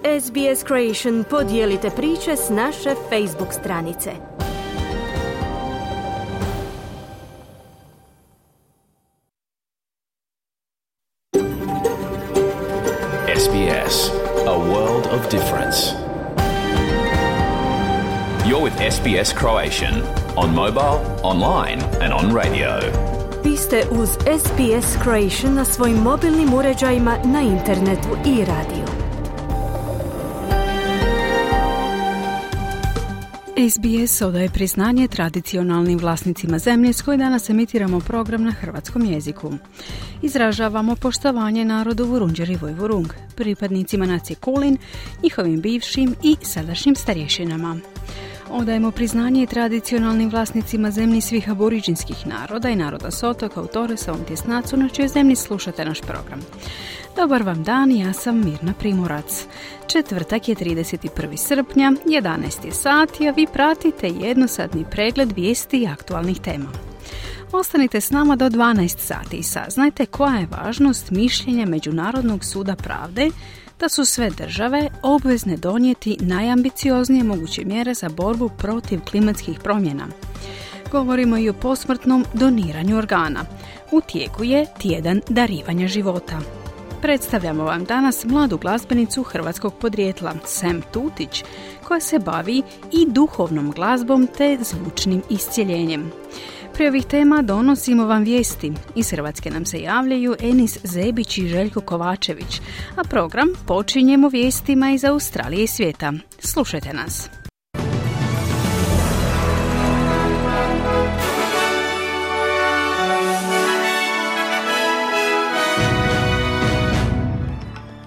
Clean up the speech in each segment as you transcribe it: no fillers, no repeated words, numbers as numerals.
SBS Creation podijelite priče s naše Facebook stranice. SBS, a world of difference. You're with SBS Croatian on mobile, online and on radio. Vi ste uz SBS Creation na svojim mobilnim uređajima, na internetu i radiju. SBS odaje priznanje tradicionalnim vlasnicima zemlje s koje danas emitiramo program na hrvatskom jeziku. Izražavamo poštovanje narodu Vurundjeri Vojvurung, pripadnicima nacije Kulin, njihovim bivšim i sadašnjim starješinama. Odajemo priznanje tradicionalnim vlasnicima zemlji svih aboriđinskih naroda i naroda s otoka u Torresovom tjesnacu na čijoj zemlji slušate naš program. Dobar vam dan, ja sam Mirna Primorac. Četvrtak je 31. srpnja, 11 je sati, a vi pratite jednosatni pregled vijesti i aktualnih tema. Ostanite s nama do 12 sati i saznajte koja je važnost mišljenja Međunarodnog suda pravde da su sve države obvezne donijeti najambicioznije moguće mjere za borbu protiv klimatskih promjena. Govorimo i o posmrtnom doniranju organa. U tijeku je tjedan darivanja života. Predstavljamo vam danas mladu glazbenicu hrvatskog podrijetla, Sam Tutić, koja se bavi i duhovnom glazbom te zvučnim iscjeljenjem. Prije ovih tema donosimo vam vijesti. Iz Hrvatske nam se javljaju Enis Zebić i Željko Kovačević, a program počinjemo vijestima iz Australije i svijeta. Slušajte nas.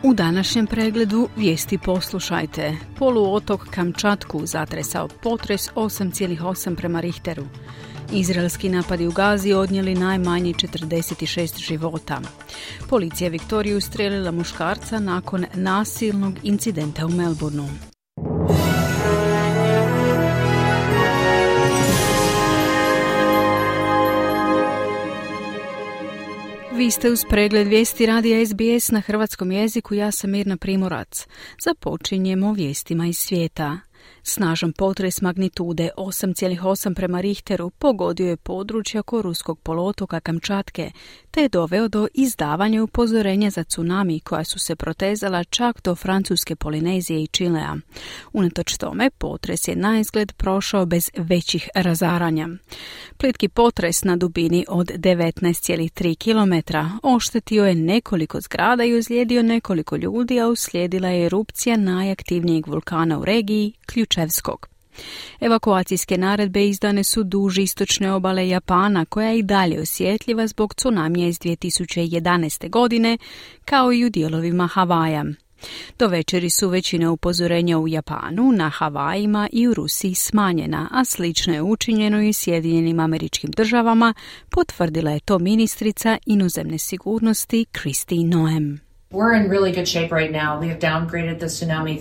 U današnjem pregledu vijesti poslušajte. Poluotok Kamčatku zatresao potres 8,8 prema Richteru. Izraelski napadi u Gazi odnijeli najmanje 46 života. Policija Viktoriju ustrijelila muškarca nakon nasilnog incidenta u Melbourneu. Vi ste uz pregled vijesti radija SBS na hrvatskom jeziku, ja sam Mirna Primorac. Započinjemo vijestima iz svijeta. Snažan potres magnitude 8,8 prema Richteru pogodio je područje oko ruskog poluotoka Kamčatke, te je doveo do izdavanja upozorenja za tsunami koja su se protezala čak do Francuske Polinezije i Čilea. Unatoč tome, potres je naizgled prošao bez većih razaranja. Plitki potres na dubini od 19,3 km oštetio je nekoliko zgrada i ozlijedio nekoliko ljudi, a uslijedila je erupcija najaktivnijeg vulkana u regiji, Ključevskog. Evakuacijske naredbe izdane su duž istočne obale Japana, koja je i dalje osjetljiva zbog tsunamija iz 2011. godine, kao i u dijelovima Havaja. Do večeri su većina upozorenja u Japanu, na Havajima i u Rusiji smanjena, a slično je učinjeno i u Sjedinjenim Američkim Državama, potvrdila je to ministrica inozemne sigurnosti Kristi Noem. We're in really good shape right now. We have downgraded the tsunami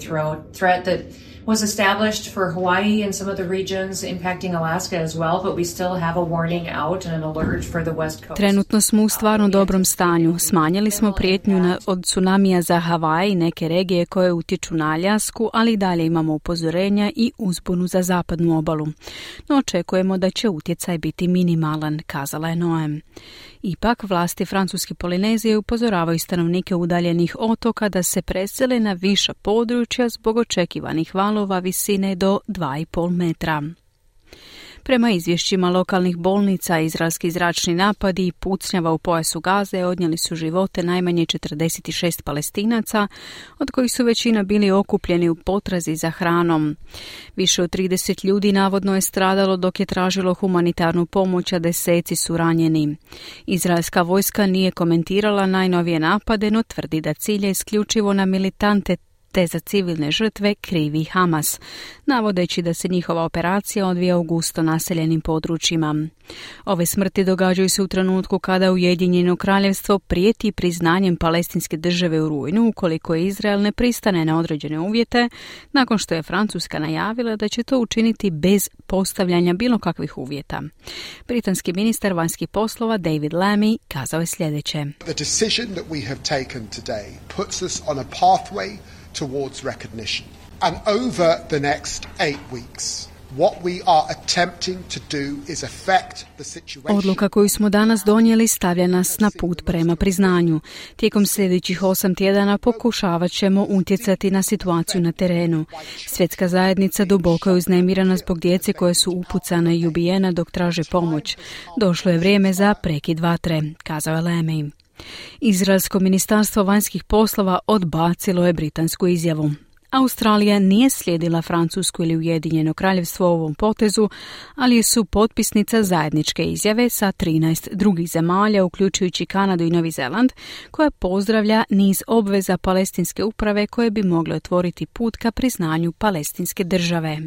threat that was established for Hawaii and some of the regions impacting Alaska as well, but we still have a warning out and an alert for the west coast. Trenutno smo u stvarno dobrom stanju. Smanjili smo prijetnju od tsunamija za Havaj i neke regije koje utječu na Aljasku, ali i dalje imamo upozorenja i uzbunu za zapadnu obalu. No očekujemo da će utjecaj biti minimalan, kazala je Noem. Ipak, vlasti Francuske Polinezije upozoravaju stanovnike udaljenih otoka da se presele na viša područja zbog očekivanih valova visine do 2,5 metra. Prema izvješćima lokalnih bolnica, izraelski zračni napadi i pucnjava u pojasu Gaze odnijeli su živote najmanje 46 Palestinaca, od kojih su većina bili okupljeni u potrazi za hranom. Više od 30 ljudi navodno je stradalo dok je tražilo humanitarnu pomoć, a deseci su ranjeni. Izraelska vojska nije komentirala najnovije napade, no tvrdi da cilje isključivo na militante te za civilne žrtve krivi Hamas, navodeći da se njihova operacija odvija u gusto naseljenim područjima. Ove smrti događaju se u trenutku kada Ujedinjeno kraljevstvo prijeti priznanjem palestinske države u rujnu ukoliko Izrael ne pristane na određene uvjete, nakon što je Francuska najavila da će to učiniti bez postavljanja bilo kakvih uvjeta. Britanski ministar vanjskih poslova David Lammy kazao je sljedeće. The decision that we have taken today puts us on a pathway towards recognition. And over the next 8 weeks, what we are attempting to do is affect the situation. Odluka koju smo danas donijeli stavlja nas na put prema priznanju. Tijekom sljedećih 8 tjedana pokušavat ćemo utjecati na situaciju na terenu. Svjetska zajednica duboko je uznemirana zbog djece koje su upucane i ubijene dok traže pomoć. Došlo je vrijeme za prekid vatre, kazao je Lamey. Izraelsko ministarstvo vanjskih poslova odbacilo je britansku izjavu. Australija nije slijedila Francusku ili Ujedinjeno kraljevstvo u ovom potezu, ali su potpisnica zajedničke izjave sa 13 drugih zemalja, uključujući Kanadu i Novi Zeland, koja pozdravlja niz obveza palestinske uprave koje bi mogle otvoriti put ka priznanju palestinske države.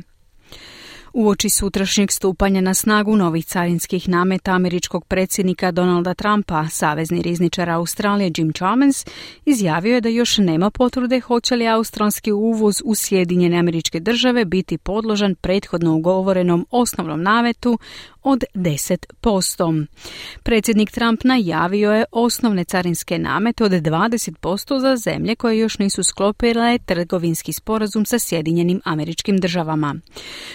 Uoči sutrašnjeg stupanja na snagu novih carinskih nameta američkog predsjednika Donalda Trumpa, savezni rizničar Australije Jim Chalmers izjavio je da još nema potvrde hoće li australski uvoz u Sjedinjene Američke Države biti podložan prethodno ugovorenom osnovnom nametu od 10%. Predsjednik Trump najavio je osnovne carinske namete od 20% za zemlje koje još nisu sklopile trgovinski sporazum sa Sjedinjenim Američkim Državama.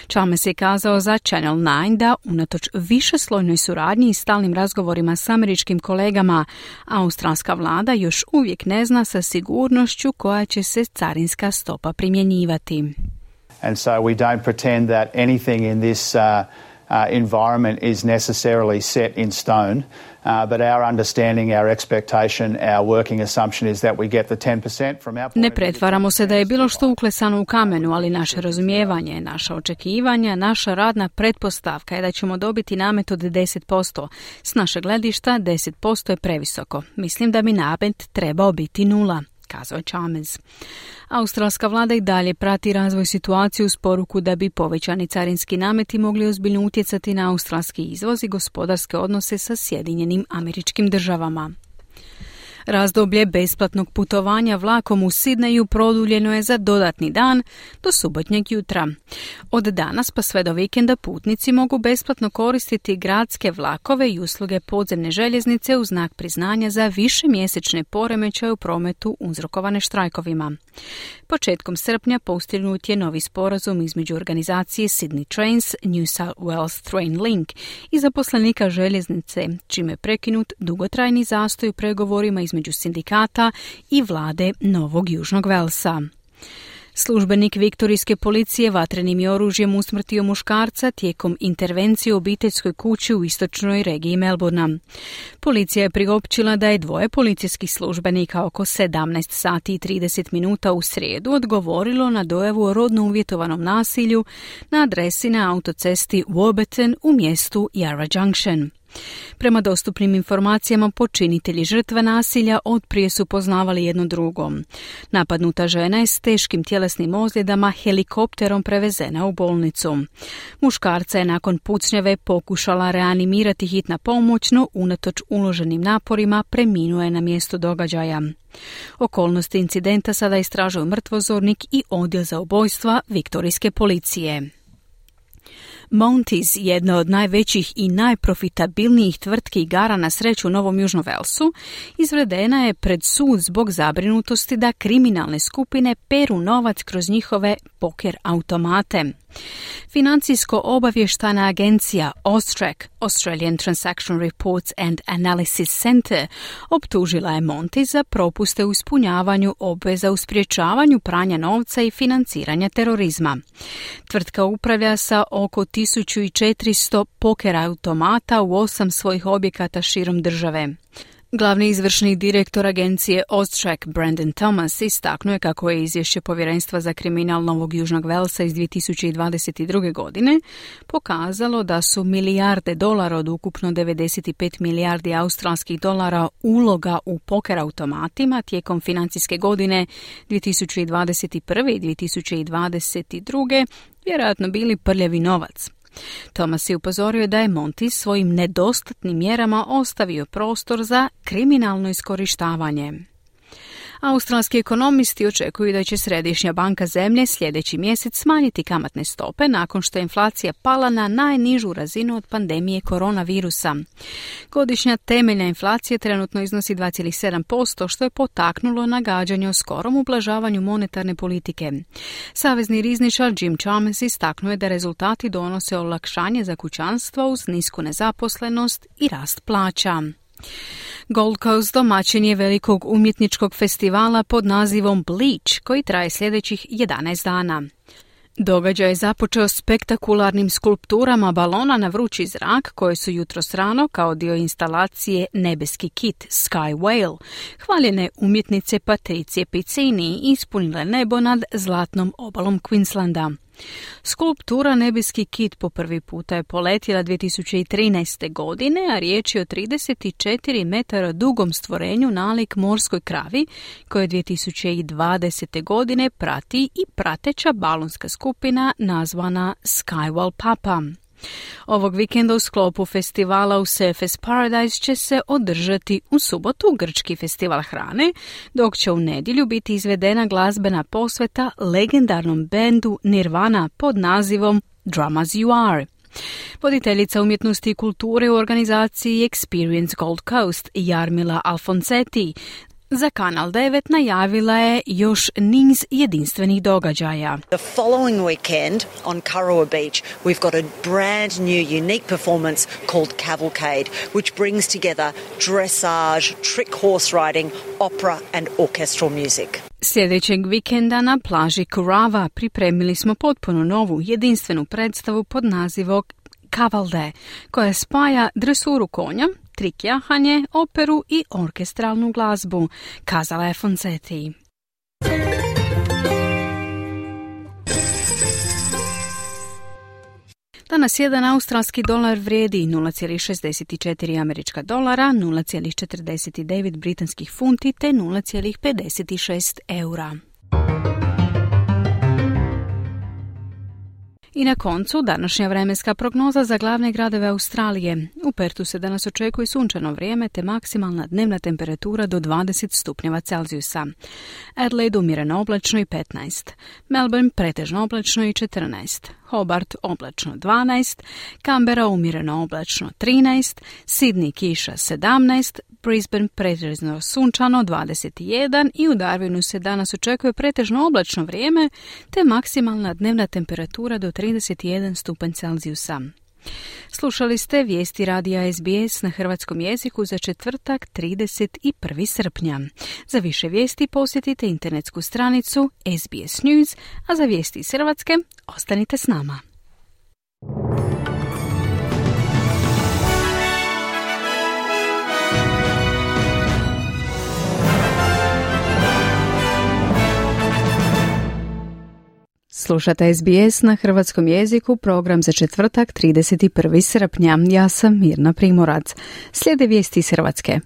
Chalmers je kazao za Channel 9 da unatoč višeslojnoj suradnji i stalnim razgovorima s američkim kolegama, australska vlada još uvijek ne zna sa sigurnošću koja će se carinska stopa primjenjivati. And so we don't pretend that anything in this environment is necessarily set in stone, but our understanding, our expectation, our working assumption is that we get the 10% from our point. Ne pretvaramo se da je bilo što uklesano u kamenu, ali naše razumijevanje, naša očekivanja, naša radna pretpostavka je da ćemo dobiti namet od 10%. S našeg gledišta 10% je previsoko. Mislim da bi namet trebao biti 0. Kazao je Chalmers. Australska vlada i dalje prati razvoj situacije uz poruku da bi povećani carinski nameti mogli ozbiljno utjecati na australski izvoz i gospodarske odnose sa Sjedinjenim Američkim Državama. Razdoblje besplatnog putovanja vlakom u Sidneju produljeno je za dodatni dan do subotnjeg jutra. Od danas pa sve do vikenda putnici mogu besplatno koristiti gradske vlakove i usluge podzemne željeznice u znak priznanja za višemjesečne poremećaje u prometu uzrokovane štrajkovima. Početkom srpnja postignut je novi sporazum između organizacije Sydney Trains, New South Wales Train Link i zaposlenika željeznice, čime je prekinut dugotrajni zastoj u pregovorima između sindikata i vlade Novog Južnog Velsa. Službenik viktorijske policije vatrenim je oružjem usmrtio muškarca tijekom intervencije u obiteljskoj kući u istočnoj regiji Melbourna. Policija je priopćila da je 2 policijskih službenika oko 17 sati i 30 minuta u srijedu odgovorilo na dojavu o rodno uvjetovanom nasilju na adresi na autocesti Warburton u mjestu Yarra Junction. Prema dostupnim informacijama, počinitelji žrtve nasilja otprije su poznavali jedno drugo. Napadnuta žena je s teškim tjelesnim ozljedama helikopterom prevezena u bolnicu. Muškarca je nakon pucnjave pokušala reanimirati hitna pomoć, no unatoč uloženim naporima preminuo je na mjestu događaja. Okolnosti incidenta sada istražuju mrtvozornik i odjel za ubojstva viktorijske policije. Monty's, jedna od najvećih i najprofitabilnijih tvrtki igara na sreću u Novom Južnom Velsu, izvedena je pred sud zbog zabrinutosti da kriminalne skupine peru novac kroz njihove poker automate. Financijsko-obavještajna agencija AUSTRAC, Australian Transaction Reports and Analysis Center, optužila je Monty za propuste u ispunjavanju obveza u sprječavanju pranja novca i financiranja terorizma. Tvrtka upravlja sa oko 1400 poker automata u 8 svojih objekata širom države. Glavni izvršni direktor agencije AUSTRAC Brandon Thomas istaknuo je kako je izvješće Povjerenstva za kriminal Novog Južnog Velsa iz 2022. godine pokazalo da su milijarde dolara od ukupno 95 milijardi australskih dolara uloga u poker automatima tijekom financijske godine 2021. i 2022. vjerojatno bili prljavi novac. Thomas je upozorio da je Monty svojim nedostatnim mjerama ostavio prostor za kriminalno iskorištavanje. Australski ekonomisti očekuju da će Središnja banka zemlje sljedeći mjesec smanjiti kamatne stope nakon što je inflacija pala na najnižu razinu od pandemije koronavirusa. Godišnja temeljna inflacija trenutno iznosi 2,7%, što je potaknulo nagađanje o skorom ublažavanju monetarne politike. Savezni rizničar Jim Chalmers istaknuo je da rezultati donose olakšanje za kućanstva uz nisku nezaposlenost i rast plaća. Gold Coast domaćin je velikog umjetničkog festivala pod nazivom Bleach, koji traje sljedećih 11 dana. Događaj je započeo spektakularnim skulpturama balona na vrući zrak koje su jutros rano kao dio instalacije Nebeski kit Sky Whale hvaljene umjetnice Patricije Piccini ispunile nebo nad zlatnom obalom Queenslanda. Skulptura Nebeski kit po prvi puta je poletjela 2013. godine, a riječ je o 34 metara dugom stvorenju nalik morskoj kravi, koje 2020. godine prati i prateća balonska skupina nazvana Skywall Papa. Ovog vikenda u sklopu festivala u Surfers Paradise će se održati u subotu grčki festival hrane, dok će u nedjelju biti izvedena glazbena posveta legendarnom bendu Nirvana pod nazivom Drum As You Are. Voditeljica umjetnosti i kulture u organizaciji Experience Gold Coast Jarmila Alfonsetti za Kanal 9 najavila je još niz jedinstvenih događaja. The following weekend on Kurrawa Beach we've got a brand new unique performance called Cavalcade, which brings together dressage, trick horse riding, opera and orchestral music. Sljedećeg vikenda na plaži Kurrawa pripremili smo potpuno novu jedinstvenu predstavu pod nazivom Cavalde, koja spaja dresuru konja, trik jahanje, operu i orkestralnu glazbu, kazala je Fonsetti. Danas jedan australski dolar vrijedi 0,64 američka dolara, 0,49 britanskih funti te 0,56 eura. I na koncu današnja vremenska prognoza za glavne gradove Australije. U Pertu se danas očekuje sunčano vrijeme te maksimalna dnevna temperatura do 20 stupnjeva Celzijusa. Adelaide umjereno oblačno i 15. Melbourne pretežno oblačno i 14. Hobart oblačno 12. Canberra umjereno oblačno 13. Sydney kiša 17. Brisbane pretežno sunčano 21 i u Darwinu se danas očekuje pretežno oblačno vrijeme te maksimalna dnevna temperatura do 31 stupanj Celzijusa. Slušali ste vijesti radija SBS na hrvatskom jeziku za četvrtak 31. srpnja. Za više vijesti posjetite internetsku stranicu SBS News, a za vijesti iz Hrvatske ostanite s nama. Slušate SBS na hrvatskom jeziku, program za četvrtak 31. srpnja. Ja sam Mirna Primorac. Slijede vijesti iz Hrvatske.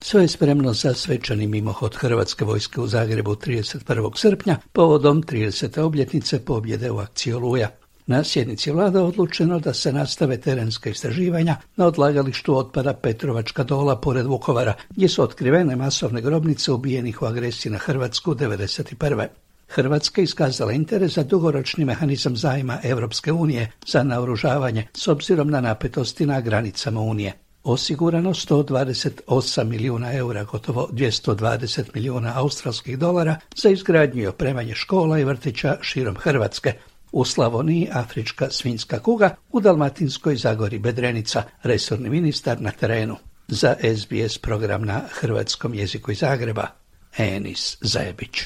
Sve je spremno za svečani mimohod Hrvatske vojske u Zagrebu 31. srpnja povodom 30. obljetnice pobjede u akciji Oluja. Na sjednici vlada odlučeno da se nastave terenska istraživanja na odlagalištu otpada Petrovačka Dola pored Vukovara, gdje su otkrivene masovne grobnice ubijenih u agresiji na Hrvatsku 1991. Hrvatska iskazala interes za dugoročni mehanizam zajma Europske unije za naoružavanje s obzirom na napetosti na granicama Unije. Osigurano 128 milijuna eura, gotovo 220 milijuna australskih dolara za izgradnju i opremanje škola i vrtića širom Hrvatske. U Slavoniji afrička svinjska kuga, u Dalmatinskoj Zagori bedrenica, resorni ministar na terenu. Za SBS program na hrvatskom jeziku iz Zagreba, Enis Zajebić.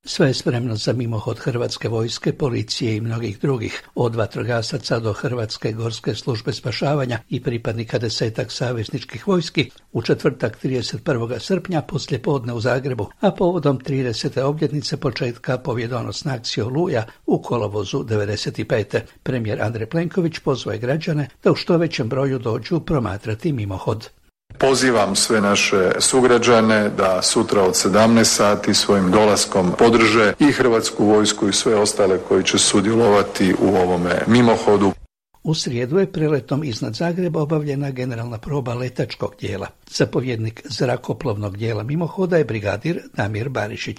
Sve je spremno za mimohod Hrvatske vojske, policije i mnogih drugih, od vatrogasaca do Hrvatske gorske službe spašavanja i pripadnika 10 savezničkih vojski u četvrtak 31. srpnja poslijepodne u Zagrebu, a povodom 30. obljetnice početka pobjedonosne akcije Oluja u kolovozu 1995. Premijer Andrej Plenković pozvao je građane da u što većem broju dođu promatrati mimohod. Pozivam sve naše sugrađane da sutra od 17 sati svojim dolaskom podrže i Hrvatsku vojsku i sve ostale koji će sudjelovati u ovome mimohodu. U srijedu je preletom iznad Zagreba obavljena generalna proba letačkog dijela. Zapovjednik zrakoplovnog dijela mimohoda je brigadir Damir Barišić.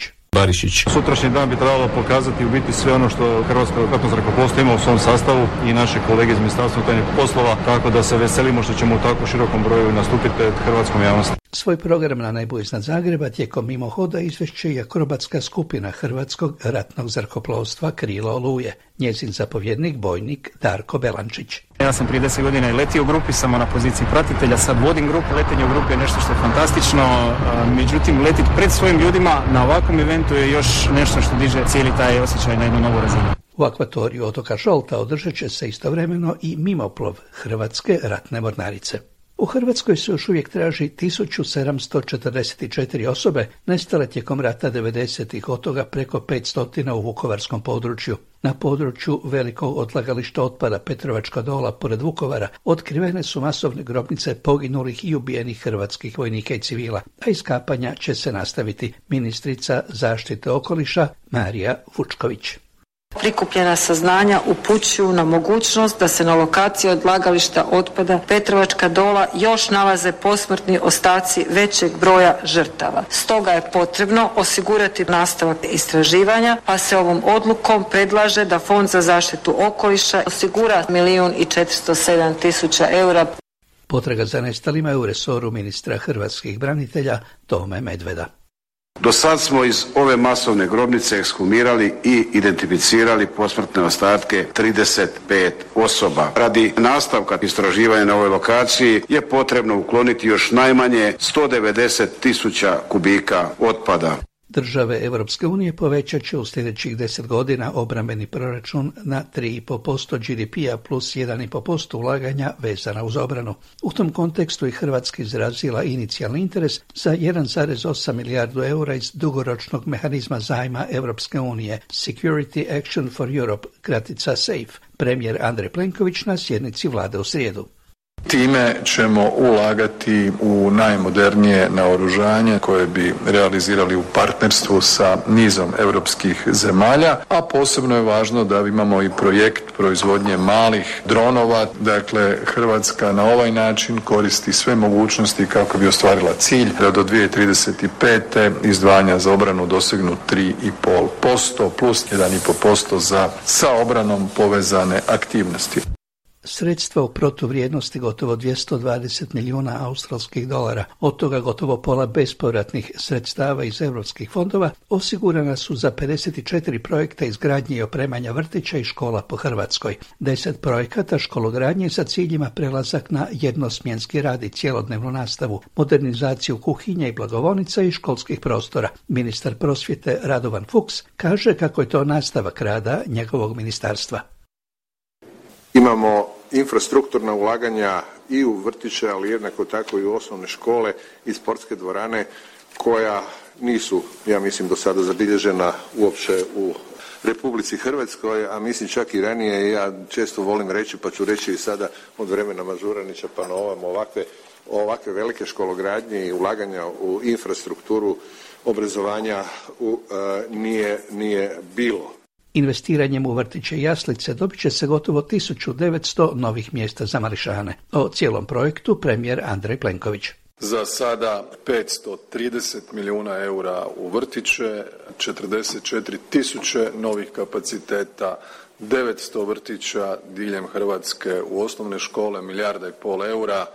Sutrašnji dan bi trebalo pokazati u biti sve ono što Hrvatsko ratno zrakoplovstvo ima u svom sastavu i naše kolege iz Ministarstva unutarnjih poslova, tako da se veselimo što ćemo u tako širokom broju nastupiti pred hrvatskom javnosti. Svoj program na nebu iznad Zagreba tijekom mimohoda izvešće i akrobatska skupina Hrvatskog ratnog zrakoplovstva Krilo Oluje. Njezin zapovjednik bojnik Darko Belančić. Ja sam prije 10 godina i letio u grupi, samo na poziciji pratitelja, sad vodim grupu. Letenje u grupi je nešto što je fantastično, međutim letiti pred svojim ljudima na ovakvom eventu je još nešto što diže cijeli taj osjećaj na jednu novu razinu. U akvatoriju otoka Žolta održat će se istovremeno i mimoplov Hrvatske ratne mornarice. U Hrvatskoj se još uvijek traži 1744 osobe nestale tijekom rata 90-ih, od toga preko 500 u vukovarskom području. Na području velikog odlagališta otpada Petrovačka Dola pored Vukovara otkrivene su masovne grobnice poginulih i ubijenih hrvatskih vojnika i civila, a iskapanja će se nastaviti. Ministrica zaštite okoliša Marija Vučković. Prikupljena saznanja upućuju na mogućnost da se na lokaciji odlagališta otpada Petrovačka Dola još nalaze posmrtni ostaci većeg broja žrtava. Stoga je potrebno osigurati nastavak istraživanja, pa se ovom odlukom predlaže da Fond za zaštitu okoliša osigura 1.407.000 eura. Potraga za nestalima je u resoru ministra hrvatskih branitelja Tome Medveda. Do sad smo iz ove masovne grobnice ekshumirali i identificirali posmrtne ostatke 35 osoba. Radi nastavka istraživanja na ovoj lokaciji je potrebno ukloniti još najmanje 190.000 kubika otpada. Države Europske unije povećat će u sljedećih 10 godina obrambeni proračun na 3,5% GDP-a plus 1,5% ulaganja vezana uz obranu. U tom kontekstu i Hrvatska izrazila inicijalni interes za 1,8 milijardu eura iz dugoročnog mehanizma zajma Europske unije Security Action for Europe, kratica SAFE, premijer Andrej Plenković na sjednici vlade u srijedu. Time ćemo ulagati u najmodernije naoružanje koje bi realizirali u partnerstvu sa nizom europskih zemalja, a posebno je važno da imamo i projekt proizvodnje malih dronova. Dakle, Hrvatska na ovaj način koristi sve mogućnosti kako bi ostvarila cilj da do 2035. izdvajanja za obranu dosegnu 3,5% plus 1,5% za sa obranom povezane aktivnosti. Sredstva u protuvrijednosti gotovo 220 milijuna australskih dolara, od toga gotovo pola bespovratnih sredstava iz europskih fondova, osigurana su za 54 projekta izgradnje i opremanja vrtića i škola po Hrvatskoj. 10 projekata škologradnje sa ciljima prelazak na jednosmjenski rad i cjelodnevnu nastavu, modernizaciju kuhinja i blagovonica i školskih prostora. Ministar prosvjete Radovan Fuchs kaže kako je to nastavak rada njegovog ministarstva. Imamo infrastrukturna ulaganja i u vrtiće, ali jednako tako i u osnovne škole i sportske dvorane koja nisu, ja mislim, do sada zabilježena uopće u Republici Hrvatskoj, a mislim čak i ranije. Ja često volim reći, pa ću reći i sada od vremena Mažuranića pa na ovakve velike škologradnje i ulaganja u infrastrukturu obrazovanja nije bilo. Investiranjem u vrtiće i jaslice dobit će se gotovo 1900 novih mjesta za mališane. O cijelom projektu premijer Andrej Plenković. Za sada 530 milijuna eura u vrtiće, 44.000 novih kapaciteta, 900 vrtića diljem Hrvatske u osnovne škole, 1,5 milijarda eura,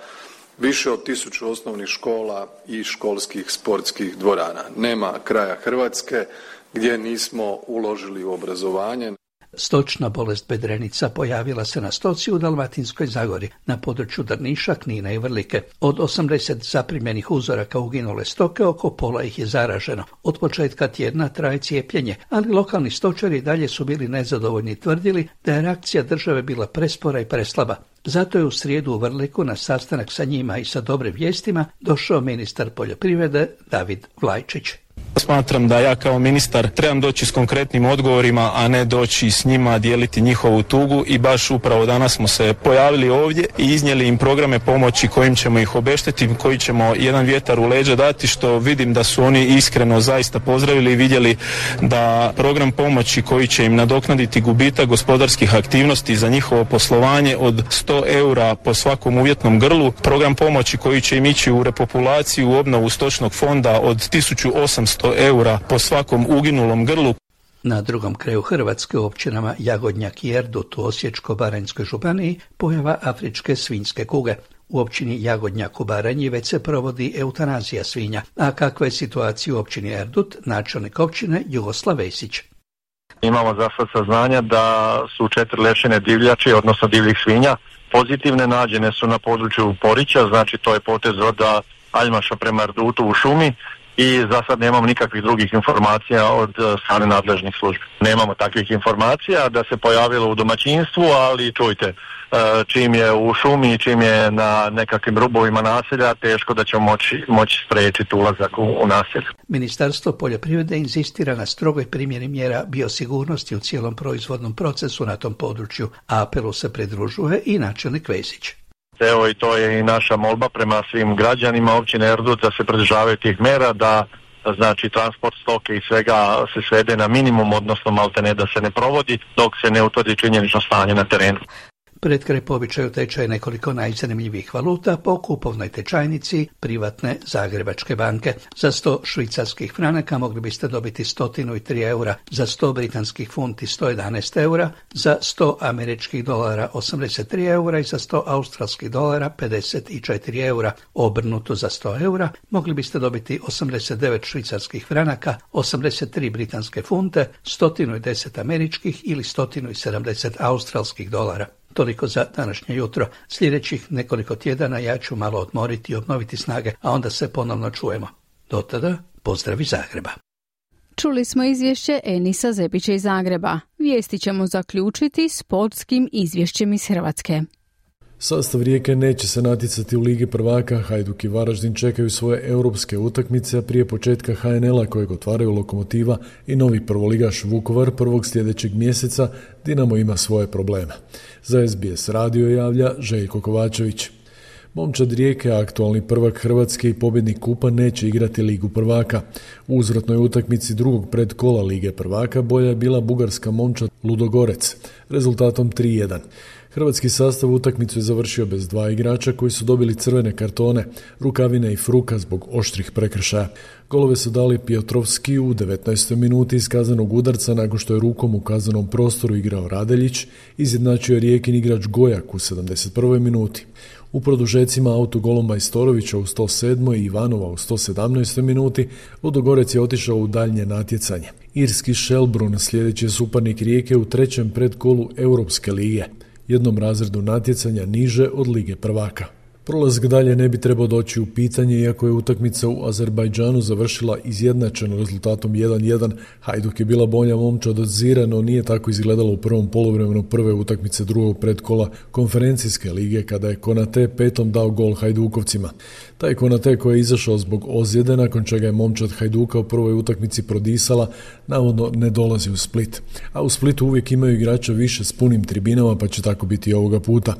više od 1000 osnovnih škola i školskih sportskih dvorana. Nema kraja Hrvatske gdje nismo uložili u obrazovanje. Stočna bolest bedrenica pojavila se na stoci u Dalmatinskoj Zagori, na području Drniša, Knina i Vrlike. Od 80 zaprimljenih uzoraka uginule stoke, oko pola ih je zaraženo. Od početka tjedna traje cijepljenje, ali lokalni stočari dalje su bili nezadovoljni i tvrdili da je reakcija države bila prespora i preslaba. Zato je u srijedu u Vrliku na sastanak sa njima i sa dobrim vijestima došao ministar poljoprivrede David Vlajčić. Smatram da ja kao ministar trebam doći s konkretnim odgovorima, a ne doći s njima dijeliti njihovu tugu i baš upravo danas smo se pojavili ovdje i iznijeli im programe pomoći kojim ćemo ih obeštetiti, koji ćemo jedan vjetar u leđa dati, što vidim da su oni iskreno zaista pozdravili i vidjeli da program pomoći koji će im nadoknaditi gubitak gospodarskih aktivnosti za njihovo poslovanje od 100 eura po svakom uvjetnom grlu, program pomoći koji će im ići u repopulaciju, u obnovu stočnog fonda od 1800 eura po svakom uginulom grlu. Na drugom kraju Hrvatske, u općinama Jagodnjak i Erdut u Osječko-baranjskoj županiji, pojava afričke svinjske kuge. U općini Jagodnjak u Baranji već se provodi eutanazija svinja. A kakva je situacija u općini Erdut, načelnik općine Jugoslav Vesić. Imamo za sad saznanja da su 4 lešine divljači, odnosno divljih svinja, pozitivne, nađene su na području Porića, znači to je potez od Aljmaša prema Erdutu u šumi. I za sad nemamo nikakvih drugih informacija od strane nadležnih službi. Nemamo takvih informacija da se pojavilo u domaćinstvu, ali čujte, čim je u šumi i čim je na nekakvim rubovima naselja, teško da ćemo moći spriječiti ulazak u naselje. Ministarstvo poljoprivrede inzistira na strogoj primjeni mjera biosigurnosti u cijelom proizvodnom procesu na tom području, a apelu se pridružuje i načelnik Vesić. Evo i to je i naša molba prema svim građanima općine Erdut da se pridržavaju tih mjera, da znači transport stoke i svega se svede na minimum, odnosno maltene da se ne provodi dok se ne utvrdi činjenično stanje na terenu. Pred kraj po običaju tečaje nekoliko najzanimljivih valuta po kupovnoj tečajnici privatne Zagrebačke banke. Za 100 švicarskih franaka mogli biste dobiti 103 eura, za 100 britanskih funti 111 eura, za 100 američkih dolara 83 eura i za 100 australskih dolara 54 eura. Obrnuto za 100 eura mogli biste dobiti 89 švicarskih franaka, 83 britanske funte, 110 američkih ili 170 australskih dolara. Toliko za današnje jutro. Sljedećih nekoliko tjedana ja ću malo odmoriti i obnoviti snage, a onda se ponovno čujemo. Do tada, pozdrav iz Zagreba. Čuli smo izvješće Enisa Zepića iz Zagreba. Vijesti ćemo zaključiti sportskim izvješćem iz Hrvatske. Sastav Rijeke neće se natjecati u Ligi prvaka, Hajduk i Varaždin čekaju svoje europske utakmice, a prije početka HNL-a kojeg otvaraju Lokomotiva i novi prvoligaš Vukovar prvog sljedećeg mjeseca, Dinamo ima svoje probleme. Za SBS radio javlja Željko Kovačević. Momčad Rijeke, aktualni prvak Hrvatske i pobjednik kupa, neće igrati Ligu prvaka. U uzvratnoj utakmici drugog predkola Lige prvaka bolja je bila bugarska momčad Ludogorec, rezultatom 3-1. Hrvatski sastav utakmicu je završio bez 2 igrača koji su dobili crvene kartone, Rukavina i Fruka zbog oštrih prekršaja. Golove su dali Piotrovski u 19. minuti iz kaznenog udarca nakon što je rukom u kaznenom prostoru igrao Radeljić, izjednačio je Rijekin igrač Gojak u 71. minuti. U produžecima autogolom Majstorovića u 107. i Ivanova u 117. minuti Ludogorec je otišao u daljnje natjecanje. Irski Shelbrun sljedeći je suparnik Rijeke u trećem predkolu Europske lige, jednom razredu natjecanja niže od Lige prvaka. Prolazak dalje ne bi trebao doći u pitanje, iako je utakmica u Azerbajdžanu završila izjednačeno rezultatom 1-1. Hajduk je bila bolja momčad od Zira, no nije tako izgledalo u prvom poluvremenu prve utakmice drugog predkola konferencijske lige, kada je Konate petom dao gol Hajdukovcima. Taj Konate koji je izašao zbog ozljede, nakon čega je momčad Hajduka u prvoj utakmici prodisala, navodno ne dolazi u Split. A u Splitu uvijek imaju igrača više s punim tribinama, pa će tako biti i ovoga puta.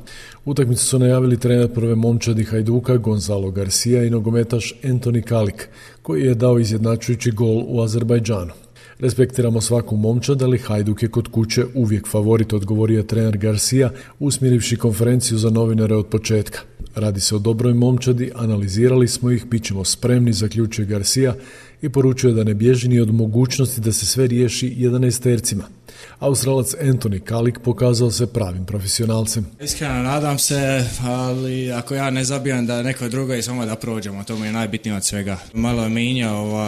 Utakmicu su najavili trener prve momčadi Hajduka Gonzalo Garcia i nogometaš Antoni Kalik, koji je dao izjednačujući gol u Azerbajdžanu. Respektiramo svaku momčad, ali Hajduk je kod kuće uvijek favorit, odgovorio trener Garcia, usmjerivši konferenciju za novinare od početka. Radi se o dobroj momčadi, analizirali smo ih, bit ćemo spremni, zaključuje Garcia i poručuje da ne bježi ni od mogućnosti da se sve riješi 11-tercima. Australac Antoni Kalik pokazao se pravim profesionalcem. Iskreno nadam se, ali ako ja ne zabijam da neko drugo i samo da prođemo, to mi je najbitnije od svega. Malo je minjao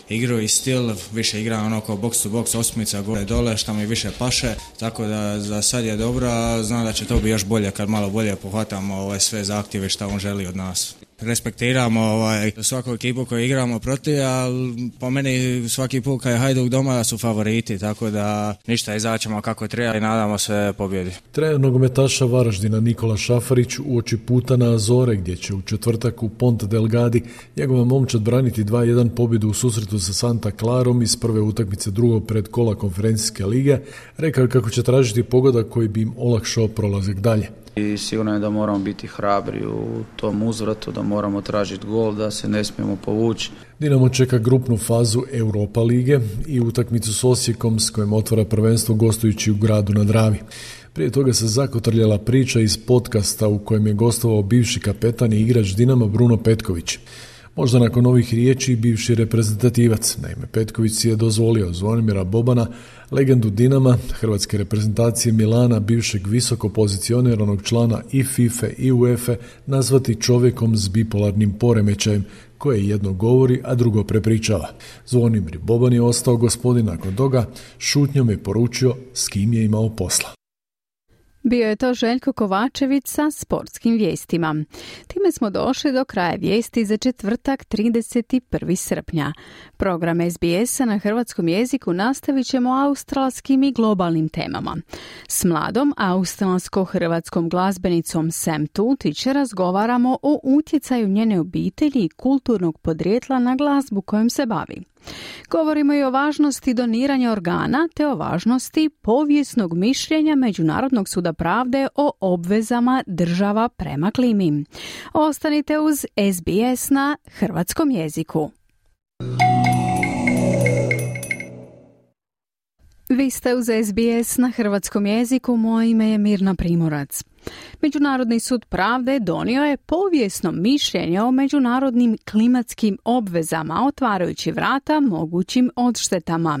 igru i stil, više igra onako box to box, osmica gore dole, što mi više paše, tako da za sad je dobro, a znam da će to biti još bolje kad malo bolje pohvatamo sve zahtjeve što on želi od nas. Respektiramo svaku ekipu koju igramo protiv, ali po meni svaki put kad je Hajduk doma su favoriti, tako da ništa, izaćemo kako treba i nadamo se pobjedi. Trener nogometaša Varaždina Nikola Šafarić uoči puta na Azore, gdje će u četvrtak u Ponte Delgadi njegova momčad braniti 2-1 pobjedu u susretu sa Santa Clarom iz prve utakmice drugog predkola konferencijske lige, rekao je kako će tražiti pogodak koji bi im olakšao prolazak dalje. I sigurno je da moramo biti hrabri u tom uzvratu, da moramo tražiti gol, da se ne smijemo povući. Dinamo čeka grupnu fazu Europa lige i utakmicu s Osijekom s kojim otvara prvenstvo gostujući u Gradu na Dravi. Prije toga se zakotrljala priča iz podcasta u kojem je gostovao bivši kapetan i igrač Dinama Bruno Petković. Možda nakon ovih riječi bivši reprezentativac. Naime, Petković si je dozvolio Zvonimira Bobana, legendu Dinama, hrvatske reprezentacije Milana, bivšeg visoko pozicioniranog člana i FIFA i UEFA, nazvati čovjekom s bipolarnim poremećajem, koje jedno govori, a drugo prepričava. Zvonimir Boban je ostao gospodin nakon toga, šutnjom je poručio s kim je imao posla. Bio je to Željko Kovačević sa sportskim vijestima. Time smo došli do kraja vijesti za četvrtak 31. srpnja. Program SBS-a na hrvatskom jeziku nastavit ćemo australskim i globalnim temama. S mladom australsko-hrvatskom glazbenicom Sam Tutić razgovaramo o utjecaju njene obitelji i kulturnog podrijetla na glazbu kojom se bavi. Govorimo i o važnosti doniranja organa te o važnosti povijesnog mišljenja Međunarodnog suda pravde o obvezama država prema klimi. Ostanite uz SBS na hrvatskom jeziku. Vi ste uz SBS na hrvatskom jeziku, moje ime je Mirna Primorac. Međunarodni sud pravde donio je povijesno mišljenje o međunarodnim klimatskim obvezama, otvarajući vrata mogućim odštetama.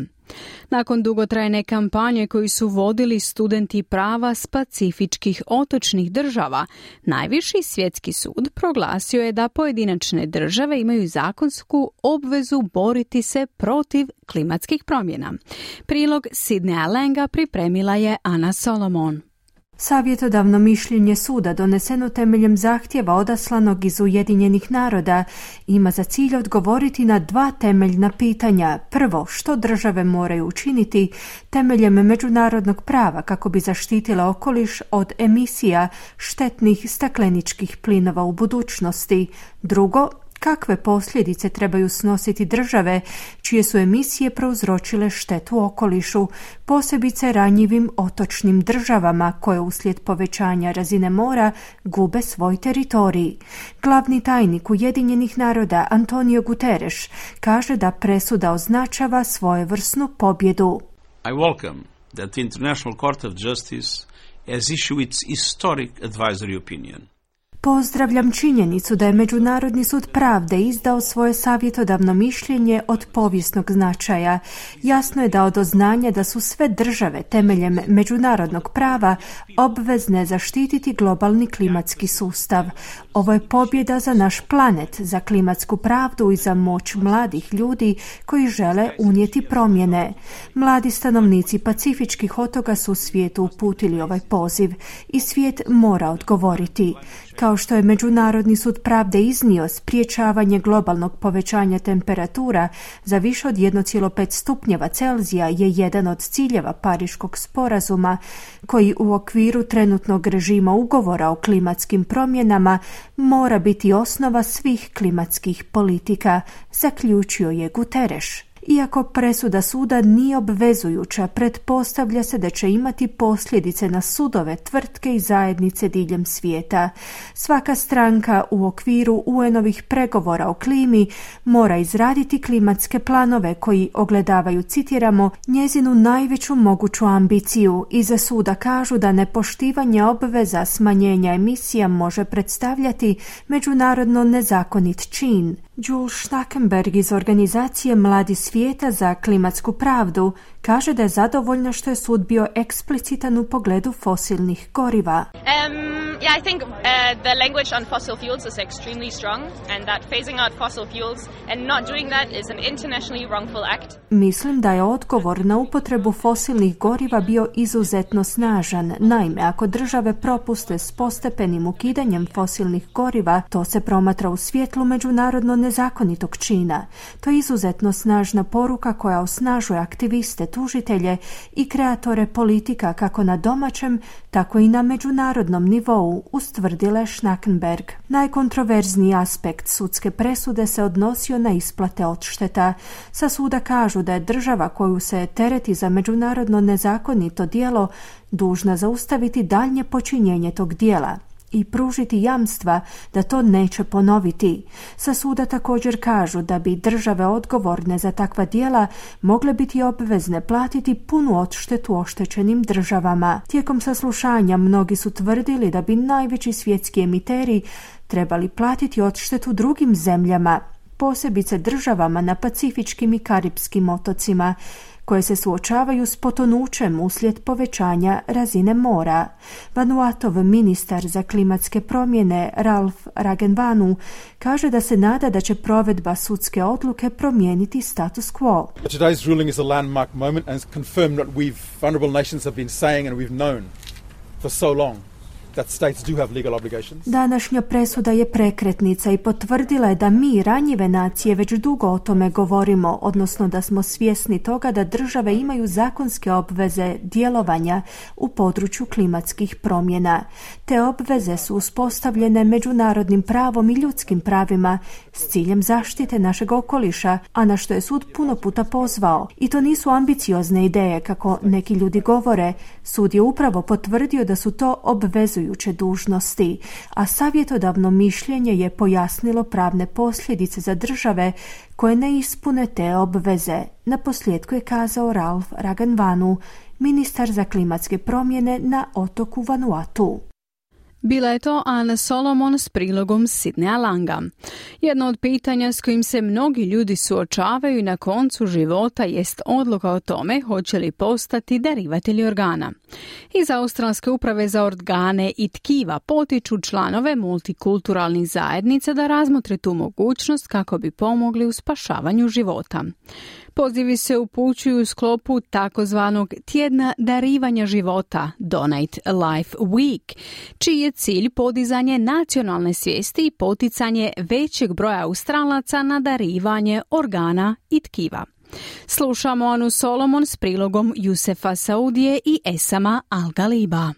Nakon dugotrajne kampanje koju su vodili studenti prava s pacifičkih otočnih država, najviši svjetski sud proglasio je da pojedinačne države imaju zakonsku obvezu boriti se protiv klimatskih promjena. Prilog Sidneya Langa pripremila je Ana Solomon. Savjetodavno mišljenje suda doneseno temeljem zahtjeva odaslanog iz Ujedinjenih naroda ima za cilj odgovoriti na dva temeljna pitanja. Prvo, što države moraju učiniti temeljem međunarodnog prava kako bi zaštitile okoliš od emisija štetnih stakleničkih plinova u budućnosti. Drugo, kakve posljedice trebaju snositi države čije su emisije prouzročile štetu okolišu, posebice ranjivim otočnim državama koje uslijed povećanja razine mora gube svoj teritorij. Glavni tajnik Ujedinjenih naroda Antonio Guterres kaže da presuda označava svojevrsnu pobjedu. I welcome that the International Court of Justice has issued its historic advisory opinion. Pozdravljam činjenicu da je Međunarodni sud pravde izdao svoje savjetodavno mišljenje od povijesnog značaja. Jasno je dao do znanja da su sve države temeljem međunarodnog prava obvezne zaštititi globalni klimatski sustav. Ovo je pobjeda za naš planet, za klimatsku pravdu i za moć mladih ljudi koji žele unijeti promjene. Mladi stanovnici pacifičkih otoka su svijetu uputili ovaj poziv i svijet mora odgovoriti. Kao što je Međunarodni sud pravde iznio, spriječavanje globalnog povećanja temperatura za više od 1,5 stupnjeva Celzija je jedan od ciljeva Pariškog sporazuma, koji u okviru trenutnog režima ugovora o klimatskim promjenama mora biti osnova svih klimatskih politika, zaključio je Guterres. Iako presuda suda nije obvezujuća, pretpostavlja se da će imati posljedice na sudove, tvrtke i zajednice diljem svijeta. Svaka stranka u okviru UN-ovih pregovora o klimi mora izraditi klimatske planove koji ogledavaju, citiramo, njezinu najveću moguću ambiciju. Iza suda kažu da nepoštivanje obveza smanjenja emisija može predstavljati međunarodno nezakonit čin. Jules Schnackenberg iz organizacije Mladi svijeta za klimatsku pravdu kaže da je zadovoljna što je sud bio eksplicitan u pogledu fosilnih goriva. I think the language on fossil fuels is extremely strong and that phasing out fossil fuels and not doing that is an internationally wrongful act. Mislim da je odgovor na upotrebu fosilnih goriva bio izuzetno snažan. Naime, ako države propuste s postepenim ukidanjem fosilnih goriva, to se promatra u svjetlu međunarodno nezakonitog čina. To je izuzetno snažna poruka koja osnažuje aktiviste, tužitelje i kreatore politika kako na domaćem, tako i na međunarodnom nivou, ustvrdila je Schnackenberg. Najkontroverzniji aspekt sudske presude se odnosio na isplate odšteta. Sa suda kažu da je država koju se tereti za međunarodno nezakonito djelo dužna zaustaviti daljnje počinjenje tog djela i pružiti jamstva da to neće ponoviti. Sa suda također kažu da bi države odgovorne za takva djela mogle biti obvezne platiti punu odštetu oštećenim državama. Tijekom saslušanja mnogi su tvrdili da bi najveći svjetski emiteri trebali platiti odštetu drugim zemljama, posebice državama na Pacifičkim i Karipskim otocima, koje se suočavaju s potonućem uslijed povećanja razine mora. Vanuatov ministar za klimatske promjene Ralph Ragenvanu kaže da se nada da će provedba sudske odluke promijeniti status quo. Today's ruling is a landmark moment and confirmed what vulnerable nations have been saying and we've known for so long. That states do have legal obligations. Današnja presuda je prekretnica i potvrdila je da mi, ranjive nacije, već dugo o tome govorimo, odnosno da smo svjesni toga da države imaju zakonske obveze djelovanja u području klimatskih promjena. Te obveze su uspostavljene međunarodnim pravom i ljudskim pravima s ciljem zaštite našeg okoliša, a na što je sud puno puta pozvao. I to nisu ambiciozne ideje, kako neki ljudi govore. Sud je upravo potvrdio da su to obvezujuće dužnosti, a savjetodavno mišljenje je pojasnilo pravne posljedice za države koje ne ispune te obveze. Na posljedku je kazao Ralph Ragenvanu, ministar za klimatske promjene na otoku Vanuatu. Bila je to Ana Solomon s prilogom Sidneya Langa. Jedno od pitanja s kojim se mnogi ljudi suočavaju na koncu života jest odluka o tome hoće li postati darivatelji organa. Iz Australske uprave za organe i tkiva potiču članove multikulturalnih zajednica da razmotre tu mogućnost kako bi pomogli u spašavanju života. Pozivi se upućuju u sklopu takozvanog tjedna darivanja života, Donate Life Week, čiji je cilj podizanje nacionalne svijesti i poticanje većeg broja Australaca na darivanje organa i tkiva. Slušamo Anu Solomon s prilogom Jusefa Saudije i Esama Al-Galiba.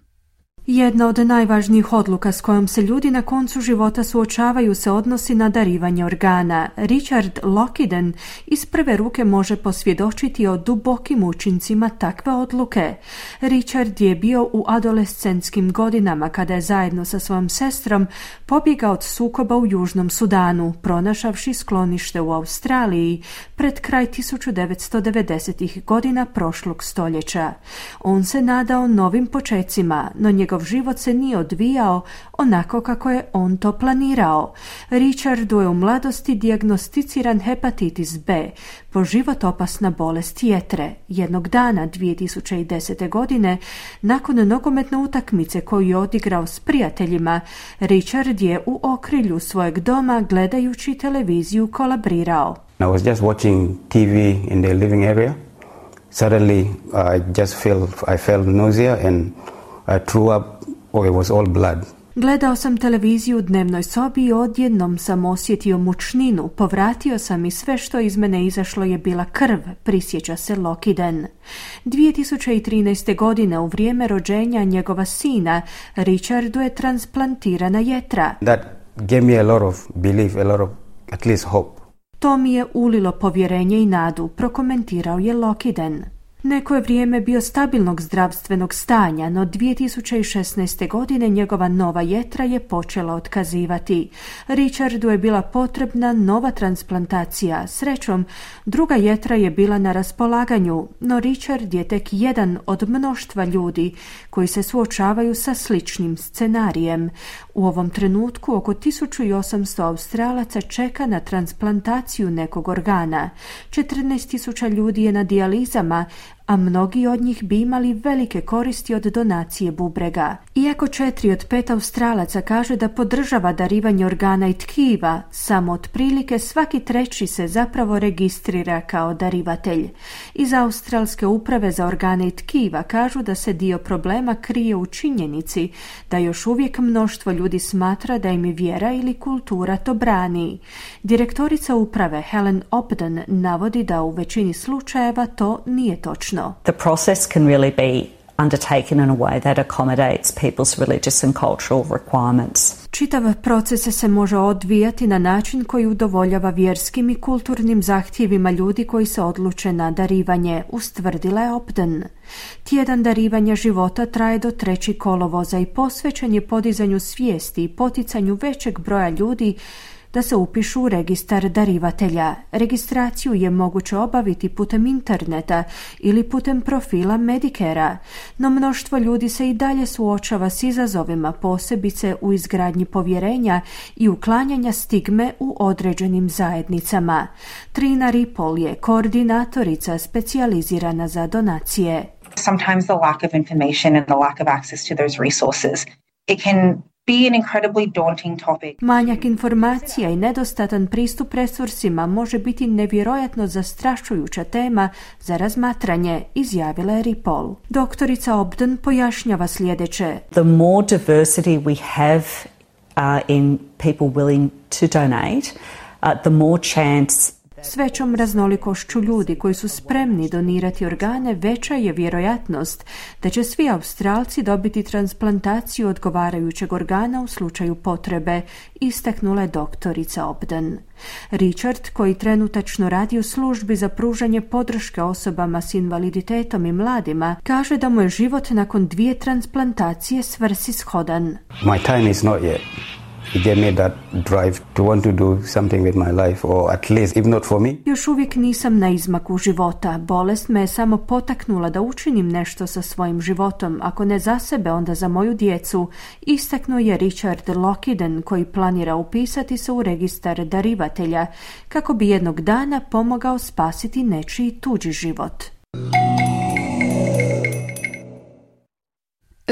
Jedna od najvažnijih odluka s kojom se ljudi na koncu života suočavaju se odnosi na darivanje organa. Richard Lockiden iz prve ruke može posvjedočiti o dubokim učincima takve odluke. Richard je bio u adolescentskim godinama kada je zajedno sa svojom sestrom pobjegao od sukoba u Južnom Sudanu, pronašavši sklonište u Australiji pred kraj 1990. godina prošlog stoljeća. On se nadao novim počecima, no njegov život se nije odvijao onako kako je on to planirao. Richardu je u mladosti dijagnosticiran hepatitis B, po život opasna bolest jetre. Jednog dana 2010. godine, nakon nogometne utakmice koju je odigrao s prijateljima, Richard je u okrilju svojeg doma gledajući televiziju kolabrirao. I was just watching TV in the living area. Suddenly I felt nausea and I threw up. Oh, it was all blood. Gledao sam televiziju u dnevnoj sobi i odjednom sam osjetio mučninu. Povratio sam i sve što iz mene izašlo je bila krv, prisjeća se Lockiden. 2013. godine u vrijeme rođenja njegova sina, Richardu je transplantirana jetra. That gave me a lot of belief, a lot of at least hope. To mi je ulilo povjerenje i nadu, prokomentirao je Lockiden. Neko je vrijeme bio stabilnog zdravstvenog stanja, no 2016. godine njegova nova jetra je počela otkazivati. Richardu je bila potrebna nova transplantacija. Srećom, druga jetra je bila na raspolaganju, no Richard je tek jedan od mnoštva ljudi koji se suočavaju sa sličnim scenarijem. U ovom trenutku oko 1800 Australaca čeka na transplantaciju nekog organa. 14.000 ljudi je na dijalizama, a mnogi od njih bi imali velike koristi od donacije bubrega. Iako 4 od 5 Australaca kaže da podržava darivanje organa i tkiva, samo otprilike svaki treći se zapravo registrira kao darivatelj. Iz Australske uprave za organe i tkiva kažu da se dio problema krije u činjenici da još uvijek mnoštvo ljudi smatra da im vjera ili kultura to brani. Direktorica uprave Helen Obden navodi da u većini slučajeva to nije točno. The process can really be undertaken in a way that accommodates people's religious and cultural requirements. Čitav proces se može odvijati na način koji udovoljava vjerskim i kulturnim zahtjevima ljudi koji se odluče na darivanje, ustvrdila je Obden. Tjedan darivanja života traje do 3. kolovoza i posvećen je podizanju svijesti i poticanju većeg broja ljudi da se upišu u registar darivatelja. Registraciju je moguće obaviti putem interneta ili putem profila Medicare-a, no mnoštvo ljudi se i dalje suočava s izazovima, posebice u izgradnji povjerenja i uklanjanja stigme u određenim zajednicama. Trina Ripple je koordinatorica specijalizirana za donacije. Sometimes the lack of information and the lack of access to those resources, it can be an incredibly daunting topic. Manjak informacija i nedostatan pristup resursima može biti nevjerojatno zastrašujuća tema za razmatranje, izjavila je Ripple. Doktorica Obden pojašnjava sljedeće. The more diversity we have in people willing to donate, the more chance. S većom raznolikošću ljudi koji su spremni donirati organe, veća je vjerojatnost da će svi Australci dobiti transplantaciju odgovarajućeg organa u slučaju potrebe, istaknula je doktorica Obden. Richard, koji trenutačno radi u službi za pružanje podrške osobama s invaliditetom i mladima, kaže da mu je život nakon 2 transplantacije svrsishodan. My time is not yet. It gave me that drive to want to do something with my life, or at least, if not for me. Još uvijek nisam na izmaku života. Bolest me je samo potaknula da učinim nešto sa svojim životom, ako ne za sebe, onda za moju djecu, istaknuo je Richard Lockiden, koji planira upisati se u registar darivatelja, kako bi jednog dana pomogao spasiti nečiji tuđi život.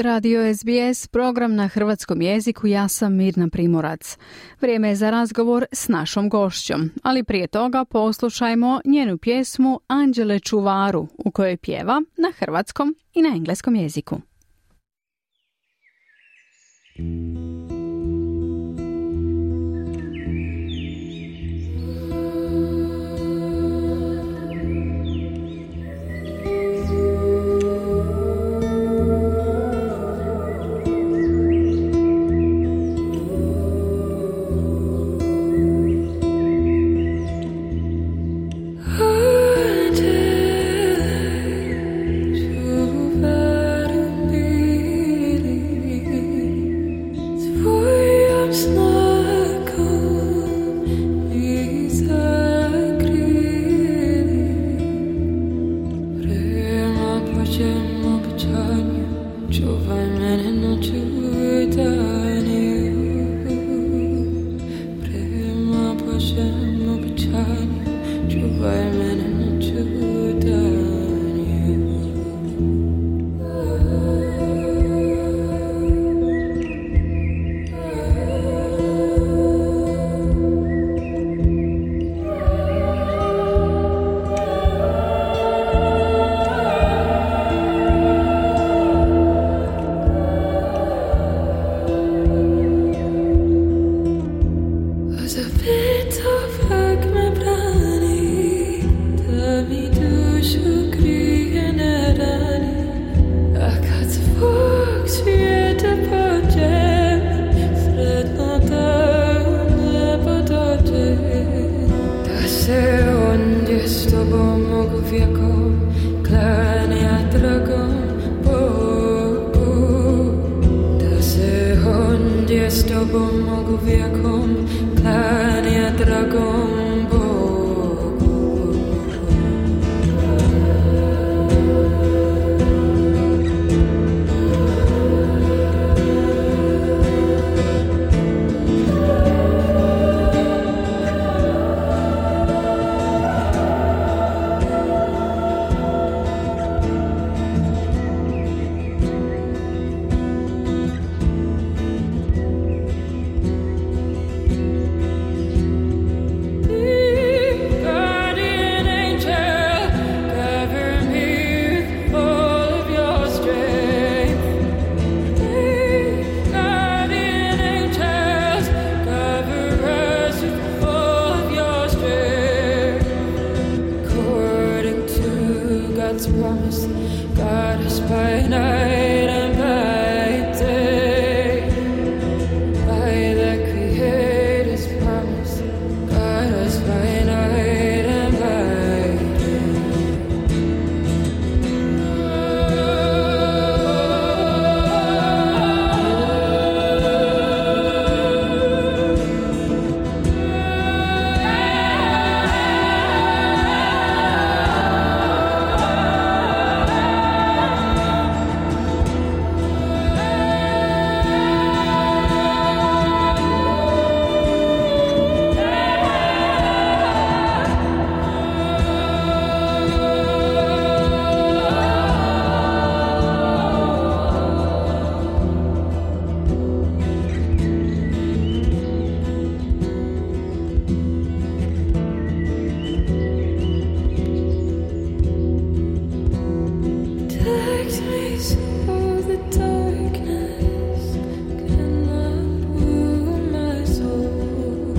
Radio SBS, program na hrvatskom jeziku, ja sam Mirna Primorac. Vrijeme je za razgovor s našom gošćom, ali prije toga poslušajmo njenu pjesmu Anđele čuvaru, u kojoj pjeva na hrvatskom i na engleskom jeziku. night and by day, by the Creator's promise, guide us by night and by day. Takes me so the darkness cannot wound my soul.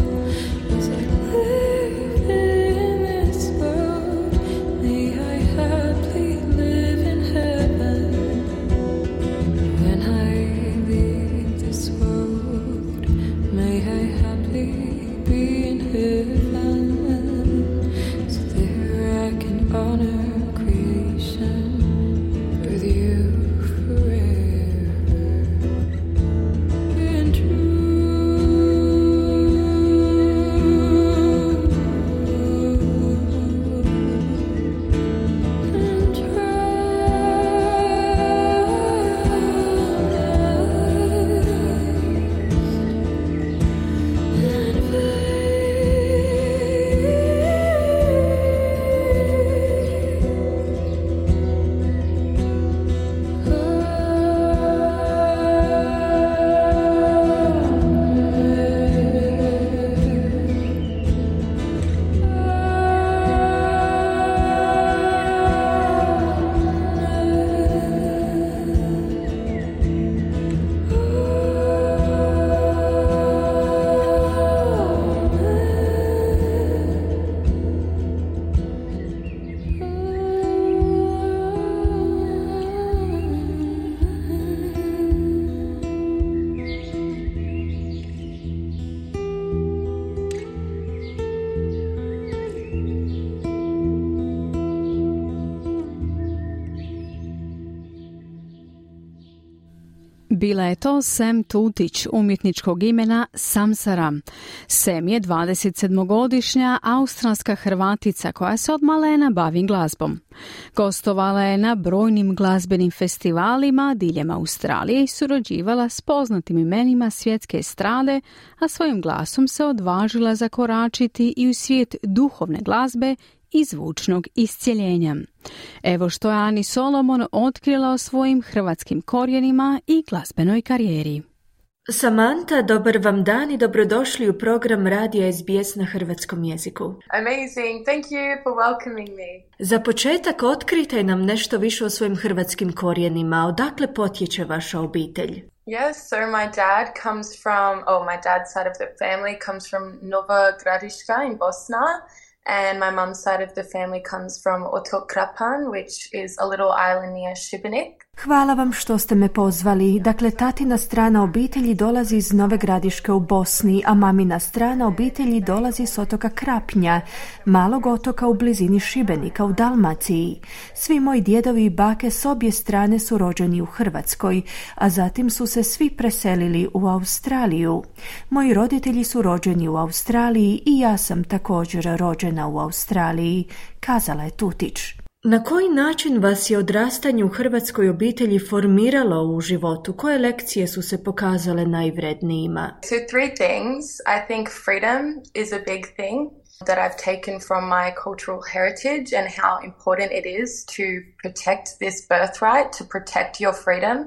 As I live in this world, may I happily live in heaven. When I leave this world, may I happily be in heaven. So there I can honor creation with you forever and Bila je to Sam Tutić, umjetničkog imena Samsara. Sam je 27-godišnja australska Hrvatica koja se od malena bavi glazbom. Gostovala je na brojnim glazbenim festivalima diljem Australije i surađivala s poznatim imenima svjetske estrade, a svojim glasom se odvažila zakoračiti i u svijet duhovne glazbe i zvučnog iscjeljenja. Evo što je Ani Solomon otkrila o svojim hrvatskim korijenima i glazbenoj karijeri. Samanta, dobar vam dan i dobrodošli u program Radija SBS na hrvatskom jeziku. Amazing, thank you for welcoming me. Za početak otkrijte nam nešto više o svojim hrvatskim korijenima. Odakle potječe vaša obitelj? Yes, so my dad's side of the family comes from Nova Gradiška in Bosna. And my mum's side of the family comes from Otok Krapan, which is a little island near Šibenik. Hvala vam što ste me pozvali. Dakle, tatina strana obitelji dolazi iz Nove Gradiške u Bosni, a mamina strana obitelji dolazi s otoka Krapnja, malog otoka u blizini Šibenika u Dalmaciji. Svi moji djedovi i bake s obje strane su rođeni u Hrvatskoj, a zatim su se svi preselili u Australiju. Moji roditelji su rođeni u Australiji i ja sam također rođena u Australiji, kazala je Tutić. Na koji način vas je odrastanje u hrvatskoj obitelji formiralo u životu? Koje lekcije su se pokazale najvrednijima? So 3 things. I think freedom is a big thing that I've taken from my cultural heritage and how important it is to protect this birthright, to protect your freedom.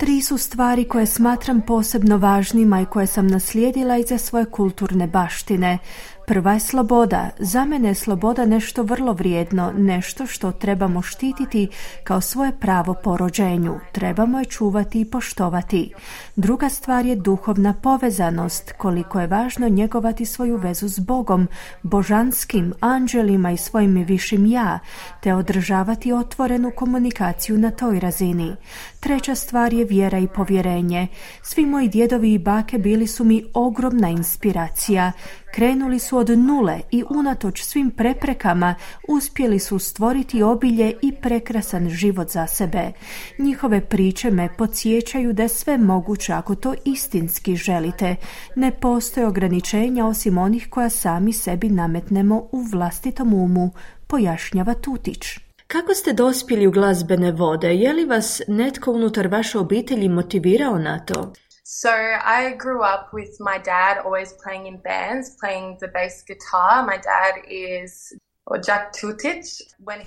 3 su stvari koje smatram posebno važnima i koje sam naslijedila iza svoje kulturne baštine. Prva je sloboda. Za mene je sloboda nešto vrlo vrijedno, nešto što trebamo štititi kao svoje pravo po rođenju. Trebamo je čuvati i poštovati. Druga stvar je duhovna povezanost, koliko je važno njegovati svoju vezu s Bogom, božanskim, anđelima i svojim višim ja, te održavati otvorenu komunikaciju na toj razini. Treća stvar je vjera i povjerenje. Svi moji djedovi i bake bili su mi ogromna inspiracija. Krenuli su od nule i unatoč svim preprekama uspjeli su stvoriti obilje i prekrasan život za sebe. Njihove priče me podsjećaju da je sve moguće ako to istinski želite. Ne postoje ograničenja osim onih koja sami sebi nametnemo u vlastitom umu, pojašnjava Tutić. Kako ste dospjeli u glazbene vode? Je li vas netko unutar vaše obitelji motivirao na to? So I grew up with my dad always playing in bands, playing the bass guitar. My dad is Jack Tutić.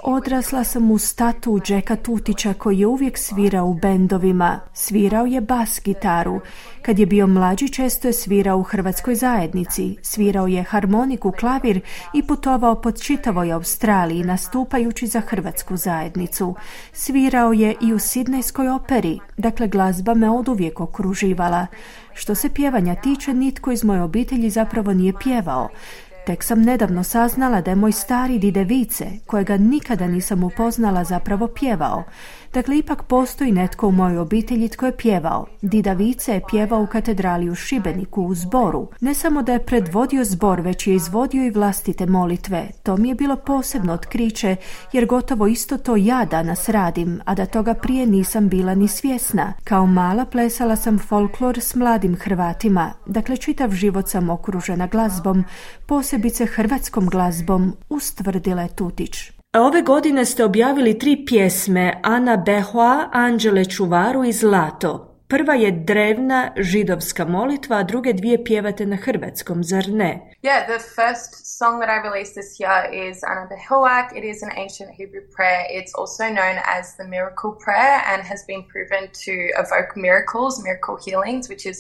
Odrasla sam uz tatu Jacka Tutića koji je uvijek svirao u bendovima. Svirao je bas gitaru. Kad je bio mlađi često je svirao u hrvatskoj zajednici. Svirao je harmoniku, klavir i putovao po čitavoj Australiji nastupajući za hrvatsku zajednicu. Svirao je i u Sidnejskoj operi. Dakle, glazba me oduvijek okruživala. Što se pjevanja tiče, nitko iz moje obitelji zapravo nije pjevao. Tek sam nedavno saznala da je moj stari dide Vice, kojega nikada nisam upoznala, zapravo pjevao. Dakle, ipak postoji netko u mojoj obitelji tko je pjevao. Dida Vice je pjevao u katedrali u Šibeniku u zboru. Ne samo da je predvodio zbor, već je izvodio i vlastite molitve. To mi je bilo posebno otkriće, jer gotovo isto to ja danas radim, a da toga prije nisam bila ni svjesna. Kao mala plesala sam folklor s mladim Hrvatima. Dakle, čitav život sam okružena glazbom, posebice hrvatskom glazbom, ustvrdila je Tutić. Ove godine ste objavili 3 pjesme, Ana Behoa, Anđele čuvaru i Zlato. Prva je drevna židovska molitva, a druge 2 pjevate na hrvatskom, zar ne? Yeah, the first song that I released this year is Ana Behoak. It is an ancient Hebrew prayer. It's also known as the miracle prayer and has been proven to evoke miracles, miracle healings, which is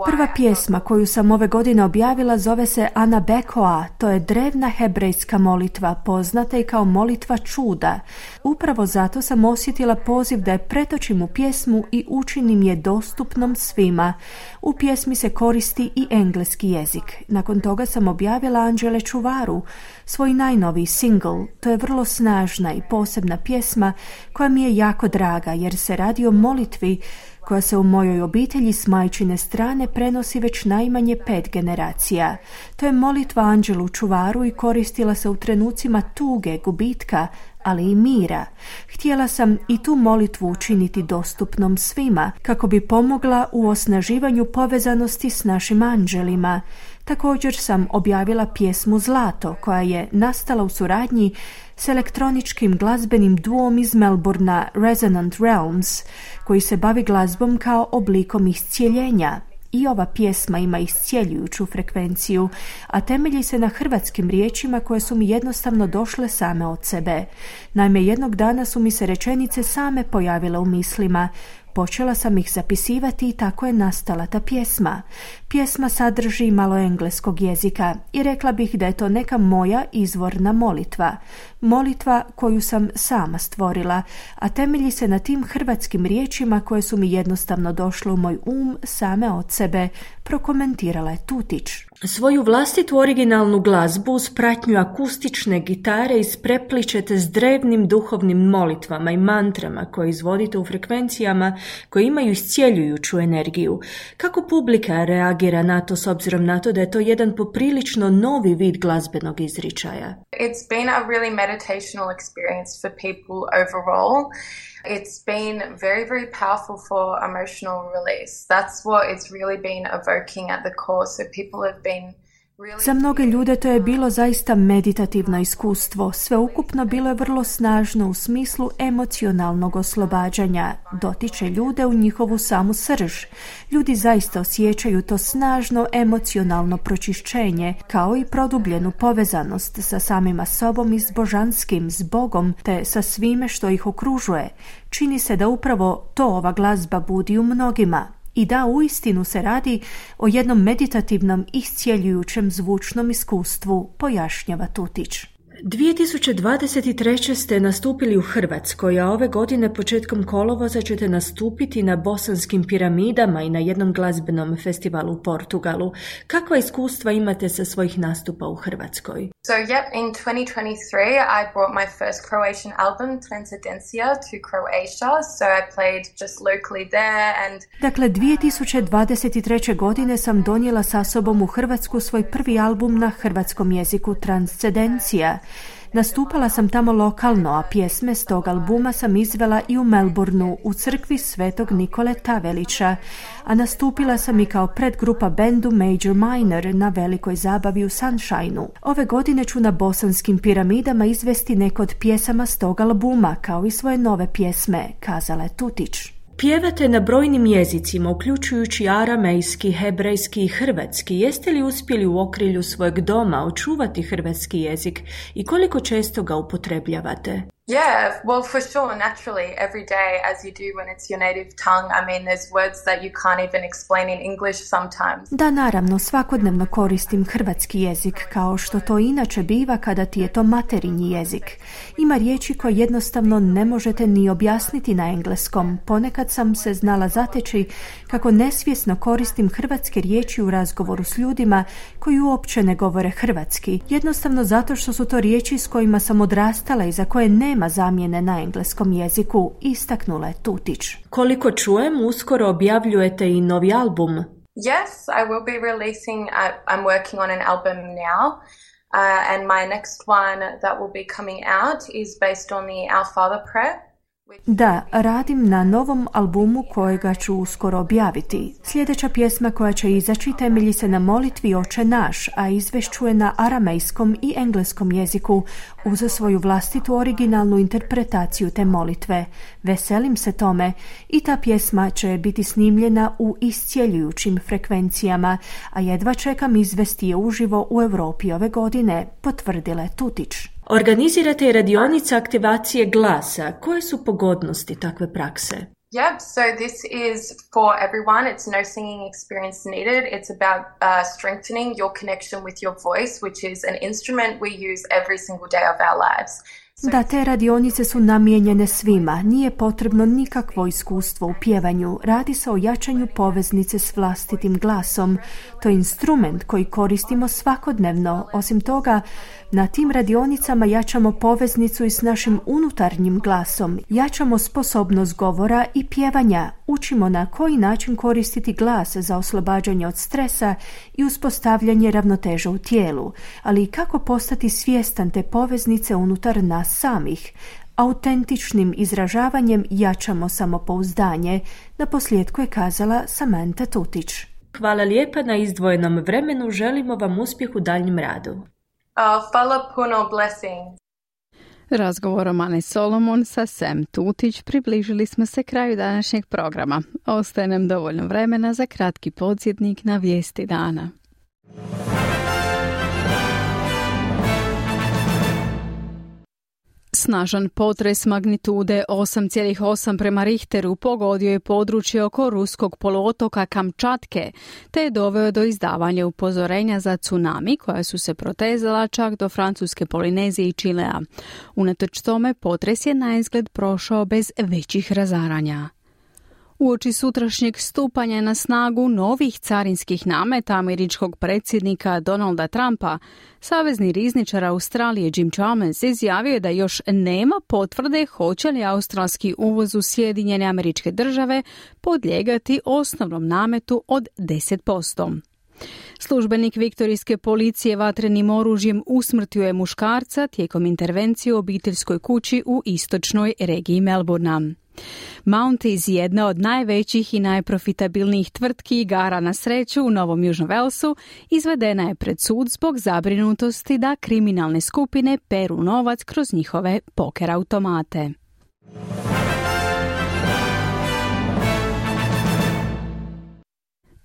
Prva pjesma koju sam ove godine objavila zove se Ana Bekoa, to je drevna hebrejska molitva, poznata i kao molitva čuda. Upravo zato sam osjetila poziv da je pretočim u pjesmu i učinim je dostupnom svima. U pjesmi se koristi i engleski jezik. Nakon toga sam objavila Anđele čuvaru, svoj najnoviji single. To je vrlo snažna i posebna pjesma koja mi je jako draga jer se radi o molitvi koja se u mojoj obitelji s majčine strane prenosi već najmanje 5 generacija. To je molitva Anđelu čuvaru i koristila se u trenucima tuge, gubitka, ali i mira. Htjela sam i tu molitvu učiniti dostupnom svima, kako bi pomogla u osnaživanju povezanosti s našim anđelima. Također sam objavila pjesmu Zlato, koja je nastala u suradnji s elektroničkim glazbenim duom iz Melbournea Resonant Realms, koji se bavi glazbom kao oblikom iscijeljenja. I ova pjesma ima iscijeljujuću frekvenciju, a temelji se na hrvatskim riječima koje su mi jednostavno došle same od sebe. Naime, jednog dana su mi se rečenice same pojavile u mislima. Počela sam ih zapisivati i tako je nastala ta pjesma. Pjesma sadrži malo engleskog jezika i rekla bih da je to neka moja izvorna molitva. Molitva koju sam sama stvorila, a temelji se na tim hrvatskim riječima koje su mi jednostavno došle u moj same od sebe, prokomentirala je Tutić. Svoju vlastitu originalnu glazbu uz pratnju akustične gitare isprepličete s drevnim duhovnim molitvama i mantrama koje izvodite u frekvencijama koje imaju iscijeljujuću energiju. Kako publika reagira na to s obzirom na to da je to jedan poprilično novi vid glazbenog izričaja? It's been a really meditational experience for people overall. It's been very, very powerful for emotional release. That's what it's really been evoking at the core. So people have been Za mnoge ljude to je bilo zaista meditativno iskustvo. Sveukupno bilo je vrlo snažno u smislu emocionalnog oslobađanja. Dotiče ljude u njihovu samu srž. Ljudi zaista osjećaju to snažno emocionalno pročišćenje, kao i produbljenu povezanost sa samima sobom i s božanskim, s Bogom, te sa svime što ih okružuje. Čini se da upravo to ova glazba budi u mnogima. I da, uistinu se radi o jednom meditativnom, iscijeljujućem zvučnom iskustvu, pojašnjava Tutić. 2023. ste nastupili u Hrvatskoj, a ove godine početkom kolovoza ćete nastupiti na Bosanskim piramidama i na jednom glazbenom festivalu u Portugalu. Kakva iskustva imate sa svojih nastupa u Hrvatskoj? So in 2023 I brought my first Croatian album, Transcendencia, to Croatia, so I played just locally there and... Dakle, 2023. godine sam donijela sa sobom u Hrvatsku svoj prvi album na hrvatskom jeziku, Transcendencija. Nastupala sam tamo lokalno, a pjesme s tog albuma sam izvela i u Melbourneu, u crkvi Svetog Nikole Tavelića, a nastupila sam i kao predgrupa bendu Major Minor na velikoj zabavi u Sunshineu. Ove godine ću na Bosanskim piramidama izvesti neke od pjesama s tog albuma, kao i svoje nove pjesme, kazala je Tutić. Pjevate na brojnim jezicima, uključujući aramejski, hebrejski i hrvatski. Jeste li uspjeli u okrilju svojeg doma očuvati hrvatski jezik i koliko često ga upotrebljavate? Yeah, well, for sure, naturally, every day, as you do when it's your native tongue. I mean, there's words that you can't even explain in English sometimes. Da, naravno, svakodnevno koristim hrvatski jezik, kao što to inače biva kada ti je to materinji jezik. Ima riječi koje jednostavno ne možete ni objasniti na engleskom. Ponekad sam se znala zateći kako nesvjesno koristim hrvatske riječi u razgovoru s ljudima koji uopće ne govore hrvatski. Jednostavno zato što su to riječi s kojima sam odrastala i za koje nema zamjene na engleskom jeziku, istaknula je Tutić. Koliko čujem, uskoro objavljujete i novi album. Yes, I will be releasing, I'm working on an album now, and my next one that will be coming out is based on the Our Father prayer. Da, radim na novom albumu kojega ću uskoro objaviti. Sljedeća pjesma koja će izaći temelji se na molitvi Oče naš, a izvešćuje na aramejskom i engleskom jeziku uz svoju vlastitu originalnu interpretaciju te molitve. Veselim se tome i ta pjesma će biti snimljena u iscijeljujućim frekvencijama, a jedva čekam izvesti je uživo u Europi ove godine, potvrdila je Tutić. Organizirate i radionice aktivacije glasa. Koje su pogodnosti takve prakse? Yep, so this is for everyone. It's no singing experience needed. It's about strengthening your connection with your voice, which is an instrument we use every single day of our lives. Da, te radionice su namijenjene svima. Nije potrebno nikakvo iskustvo u pjevanju. Radi se o jačanju poveznice s vlastitim glasom. To je instrument koji koristimo svakodnevno. Osim toga, na tim radionicama jačamo poveznicu i s našim unutarnjim glasom. Jačamo sposobnost govora i pjevanja. Učimo na koji način koristiti glas za oslobađanje od stresa i uspostavljanje ravnoteže u tijelu, ali i kako postati svjestan te poveznice unutar nas samih. Autentičnim izražavanjem jačamo samopouzdanje, naposljetku je kazala Samantha Tutić. Hvala lijepa na izdvojenom vremenu, želimo vam uspjeh u daljnjem radu. Hvala puno, blessing. Razgovorom Ane Solomon sa Sam Tutić približili smo se kraju današnjeg programa. Ostaje nam dovoljno vremena za kratki podsjetnik na vijesti dana. Snažan potres magnitude 8,8 prema Richteru pogodio je područje oko ruskog poluotoka Kamčatke, te je doveo do izdavanja upozorenja za tsunami koja su se protezala čak do Francuske Polinezije i Čilea. Unatoč tome, potres je naizgled prošao bez većih razaranja. Uoči sutrašnjeg stupanja na snagu novih carinskih nameta američkog predsjednika Donalda Trumpa, savezni rizničar Australije Jim Chalmers izjavio je da još nema potvrde hoće li australski uvoz u Sjedinjene Američke Države podlijegati osnovnom nametu od 10%. Službenik viktorijske policije vatrenim oružjem usmrtio je muškarca tijekom intervencije u obiteljskoj kući u istočnoj regiji Melbournea. Mounties, jedna od najvećih i najprofitabilnijih tvrtki igara na sreću u Novom Južnom Walesu, izvedena je pred sud zbog zabrinutosti da kriminalne skupine peru novac kroz njihove poker automate.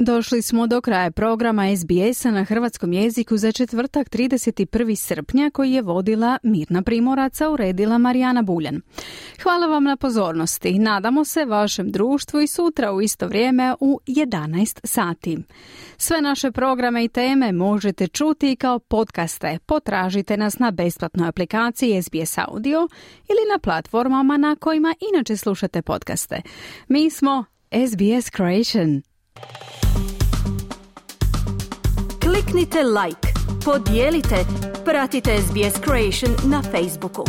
Došli smo do kraja programa SBS-a na hrvatskom jeziku za četvrtak 31. srpnja koji je vodila Mirna Primorac, a uredila Marijana Buljan. Hvala vam na pozornosti. Nadamo se vašem društvu i sutra u isto vrijeme u 11 sati. Sve naše programe i teme možete čuti kao podcaste. Potražite nas na besplatnoj aplikaciji SBS Audio ili na platformama na kojima inače slušate podcaste. Mi smo SBS Creation. Kliknite like, podijelite, pratite SBS Creation na Facebooku.